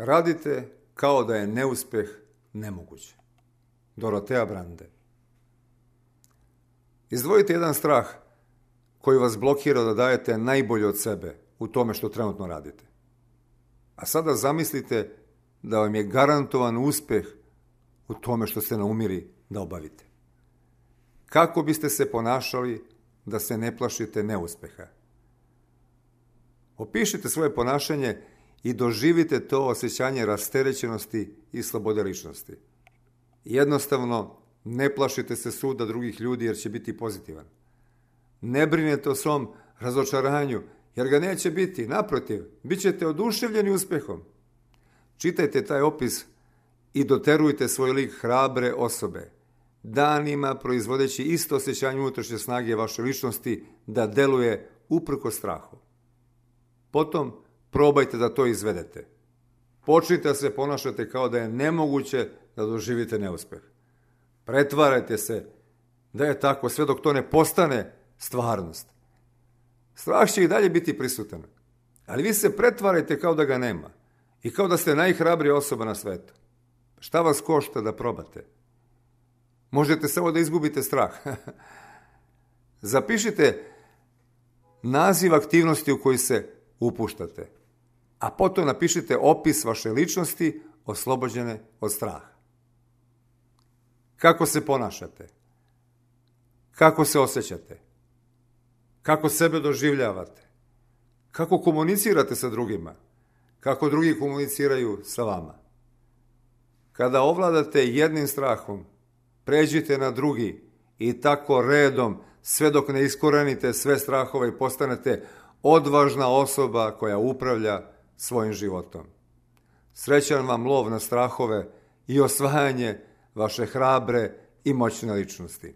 Radite kao da je neuspjeh nemoguć. Dorotea Brande. Izdvojite jedan strah koji vas blokira da dajete najbolje od sebe u tome što trenutno radite. A sada zamislite da vam je garantovan uspjeh u tome što ste naumiri da obavite. Kako biste se ponašali da se ne plašite neuspjeha? Opišite svoje ponašanje i doživite to osjećanje rasterećenosti i slobode ličnosti. Jednostavno, ne plašite se suda drugih ljudi jer će biti pozitivan. Ne brinete o svom razočaranju jer ga neće biti. Naprotiv, bit ćete oduševljeni uspjehom. Čitajte taj opis i doterujte svoj lik hrabre osobe, danima proizvodeći isto osjećanje unutrašnje snage vaše ličnosti da deluje uprkos strahu. Potom probajte da to izvedete. Počnite da se ponašate kao da je nemoguće da doživite neuspjeh. Pretvarajte se da je tako sve dok to ne postane stvarnost. Strah će i dalje biti prisutan, ali vi se pretvarajte kao da ga nema i kao da ste najhrabrija osoba na svetu. Šta vas košta da probate? Možete samo da izgubite strah. Zapišite naziv aktivnosti u koji se upuštate, a potom napišite opis vaše ličnosti oslobođene od straha. Kako se ponašate? Kako se osjećate? Kako sebe doživljavate? Kako komunicirate sa drugima? Kako drugi komuniciraju sa vama? Kada ovladate jednim strahom, pređite na drugi i tako redom sve dok ne iskorenite sve strahove i postanete odvažna osoba koja upravlja svojim životom. Srećan vam lov na strahove i osvajanje vaše hrabre i moćne ličnosti.